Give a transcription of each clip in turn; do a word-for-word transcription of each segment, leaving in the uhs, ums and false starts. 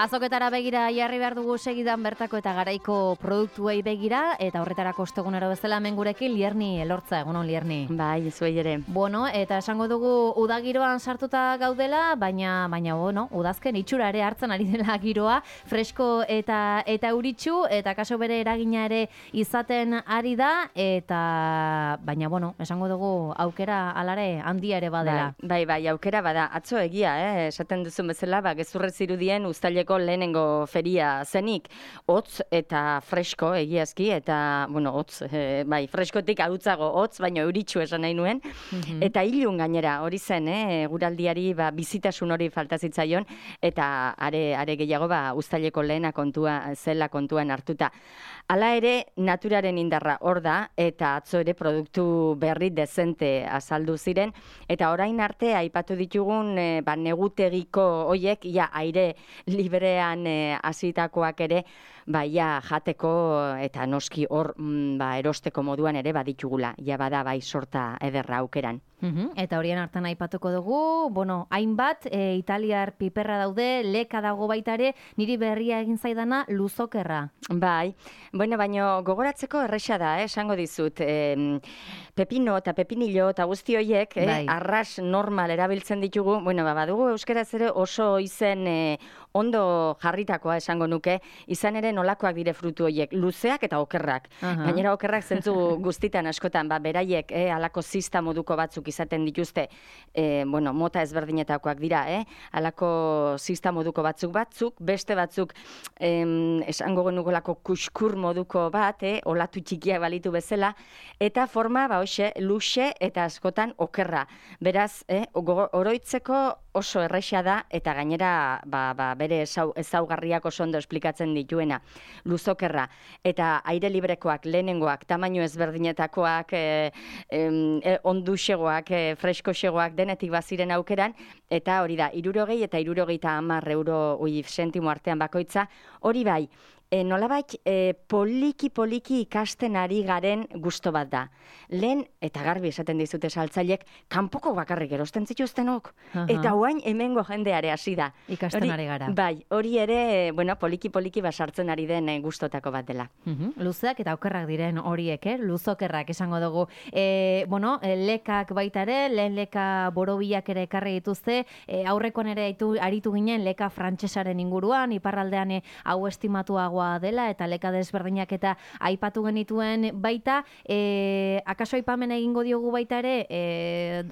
Azoketara begira jarri behar dugu segidan bertako eta garaiko produktuei begira, eta horretarako ostegunero bezala hemen gurekin Lierni Elortza, egunon Lierni. Bai, zuei ere. Bueno, eta esango dugu udagiroan sartuta gaudela, baina baina bueno, udazken itxura ere hartzen ari dela giroa, fresko eta eta euritsu, eta kaso bere eragina ere izaten ari da, eta baina bueno, esango dugu aukera alare handia ere badela. Bai, bai, bai, aukera bada. Atzo egia, eh, esaten duzun bezala, ba gezurrez zirudien uztaileko lehenengo feria zenik, hotz eta fresko egiazki, eta, bueno, hotz, e, bai, freskotik ahutzago hotz, baina euritsu esan nahi nuen, mm-hmm. eta ilun gainera, hori zen, eh, guraldiari ba, bizitasun hori falta zitzaion, eta are, are gehiago ba, uztaileko lehena kontua, zela kontuan hartuta. Hala ere, naturaren indarra hor da, eta atzo ere produktu berri dezente azaldu ziren, eta orain arte aipatu ditugun e, ba, negutegiko hoiek, ja, aire librean hasitakoak e, ere, ba, ja, jateko eta noski hor mm, ba, erosteko moduan ere baditugula, ja bada bai sorta ederra aukeran. Uhum, eta horien hartan aipatuko dugu, bueno, hainbat, e, italiar piperra daude, leka dago baita ere, niri berria egin zaidana luzokerra. Bai, bueno, baino gogoratzeko erresa da, eh, esango dizut, e, pepino eta pepinillo eta guzti horiek, eh, bai. Arras normal erabiltzen ditugu, bueno, ba, badugu euskeraz ere oso izen e, ondo jarritakoa esango nuke, izan ere nolakoak dire frutu horiek, luzeak eta okerrak. Uh-huh. Gainera okerrak zentzu guztitan askotan, ba, beraiek, eh, alako zista moduko batzuk izaten dituzte, eh, bueno, mota ezberdinetakoak dira, eh, alako zista moduko batzuk batzuk, beste batzuk, em, esango genukolako kuskur moduko bat, eh, olatu txikiak balitu bezala, eta forma, ba, hoxe, luxe eta askotan okerra. Beraz, eh, oroitzeko oso erresa da, eta gainera, ba, ba, bere ezaugarriak oso ondo esplikatzen dituena, luzokerra, eta aire librekoak, lehenengoak, tamaino ezberdinetakoak, e, e, onduxegoak, e, freskoxegoak, denetik baziren aukeran, eta hori da, hirurogei eta hirurogeita hamar euro ui sentimo artean bakoitza, hori bai, E, nolabait e, poliki-poliki ikasten ari garen gusto bat da. Lehen, eta garbi esaten dizute saltzaileek, kanpoko bakarrik erosten zituztenok. Uh-huh. Eta oain hemengo jendeare hasi da. Ikasten hori, ari gara. Bai, hori ere, bueno, poliki-poliki basartzen ari den gustotako bat dela. Uh-huh. Luzeak eta okerrak diren horiek, eh? Luzokerrak esango dugu. E, bueno, lekak baita ere, lehen leka borobilak ere ekarri dituzte, e, aurrekoan ere aritu, aritu ginen leka frantsesaren inguruan, iparraldean e, hau estimatuagoa dela eta leka desberdinak eta aipatu genituen baita, e, akaso aipamen egingo diogu baita ere, e,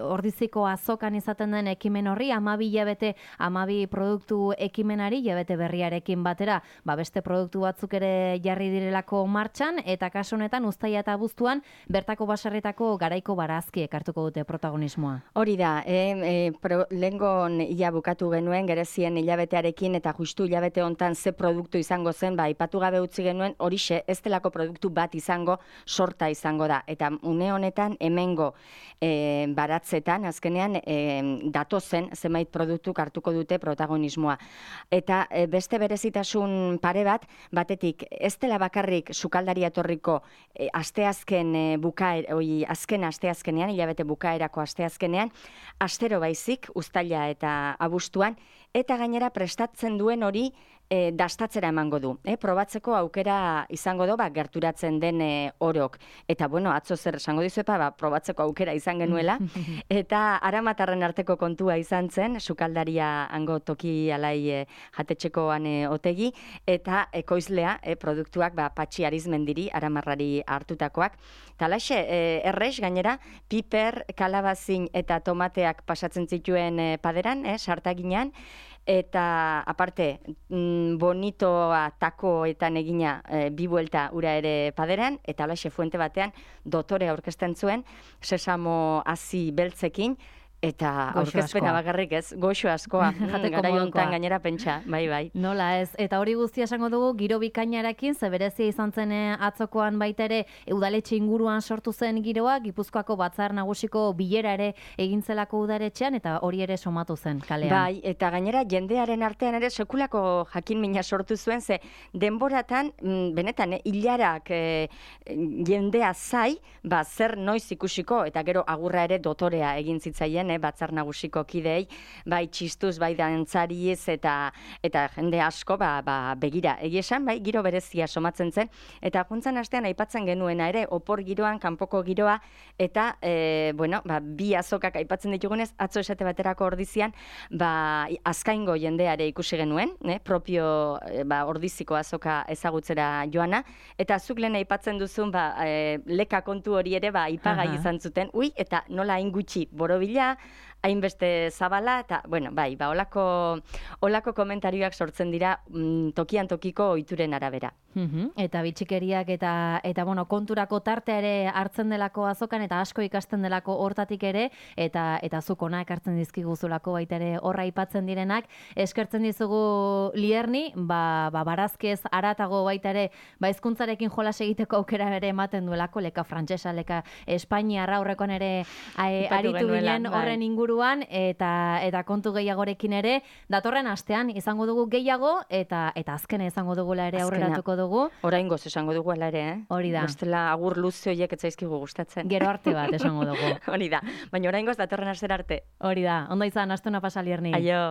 ordiziko azokan izaten den ekimen horri, hamabi hilabete, hamabi produktu ekimenari, hilabete berriarekin batera, ba beste produktu batzuk ere jarri direlako martxan, eta kaso honetan uztaila eta abuztuan bertako baserritako garaiko barazkiek hartuko dute protagonismoa. Hori da, e, e, pro, lengon ia bukatu genuen, gerezien hilabetearekin, eta justu hilabete hontan ze produktu izango zen, ba, aipatu gabe utzi genuen, horixe, ez delako produktu bat izango, sorta izango da. Eta une honetan, hemengo e, baratzetan, azkenean, e, datozen zenbait produktuk hartuko dute protagonismoa. Eta e, beste berezitasun pare bat, batetik, ez dela bakarrik sukaldari etorriko e, asteazken e, bukaer, oi, azken asteazkenean, hilabete bukaerako asteazkenean, astero baizik, uztaila eta abuztuan, eta gainera prestatzen duen hori e, dastatzera emango du. E, probatzeko aukera izango du, ba, gerturatzen den e, orok. Eta, bueno, atzo zer esango dizuepa, ba, probatzeko aukera izan genuela. Eta aramatarren arteko kontua izan zen, sukaldaria hango toki alai e, jatetxekoan e, otegi, eta ekoizlea e, produktuak ba, Patxi Arizmendiri, aramarrari hartutakoak. Talaxe, e, errex gainera, piper, kalabazin eta tomateak pasatzen zituen e, paderan, e, sartaginan, eta aparte bonitoa takoetan egina e, bi buelta ura ere paderan, eta alaxe fuente batean dotore aurkezten zuen, sesamo hazi beltzekin, Eta aurkezpena bakarrik ez, goxo askoa, garai hontan gainera pentsa, bai, bai. Nola ez, eta hori guztia esango dugu, giro bikainarekin, zeberezia izan zen atzokoan baita ere, udaletxe inguruan sortu zen giroa, Gipuzkoako Batzar Nagusiko bilera ere egintzelako udaletxean, eta hori ere somatu zen kalean. Bai, eta gainera jendearen artean ere sekulako jakin mina sortu zuen, ze denboratan, benetan, eh, hilarak eh, jendea zai, ba, zer noiz ikusiko, eta gero agurra ere dotorea egin zitzaien, Batzar Nagusiko kidei, bai txistuz, bai dantzariz, eta eta jende asko, ba, ba, begira, egia esan, bai, giro berezia somatzen zen, eta juntzan astean aipatzen genuena ere, opor giroan, kanpoko giroa, eta, e, bueno, ba, bi azokak aipatzen ditugunez, atzo esate baterako ordizian, ba, azkaingo jendeare ikusi genuen, ne, propio, e, ba, ordiziko azoka ezagutzera joana, eta zuk lehen aipatzen duzun, ba, e, leka kontu hori ere, ba, ipagai izan zuten, ui, eta nola hain gutxi borobila, hainbeste zabala, eta, bueno, bai, ba, olako, olako komentarioak sortzen dira mm, tokian tokiko ohituren arabera. Uhum. Eta bitxikeriak eta, eta bueno, konturako tartea ere hartzen delako azokan, eta asko ikasten delako hortatik ere, eta eta zuk ona ekartzen dizkiguzulako baita ere horra aipatzen direnak, eskertzen dizugu Lierni, ba, ba barazkez aratago baita ere, ba hizkuntzarekin jolas egiteko aukera ere ematen duelako, leka frantsesa, leka espainiarra aurrekoan ere ai, aritu ginen horren inguruan, eta eta kontu gehiagorekin ere, datorren astean izango dugu gehiago, eta eta azkena izango dugula ere aurreratuko dugu. Oraingoz esango dugu ala ere, eh? Hori da. Bestela agur luze horiek ez zaizkigu gustatzen. Gero arte bat esango dugu. Hori da. Baina oraingoz datorren astera arte. Hori da. Ondo izan, astuna pasa Lierni. Aio.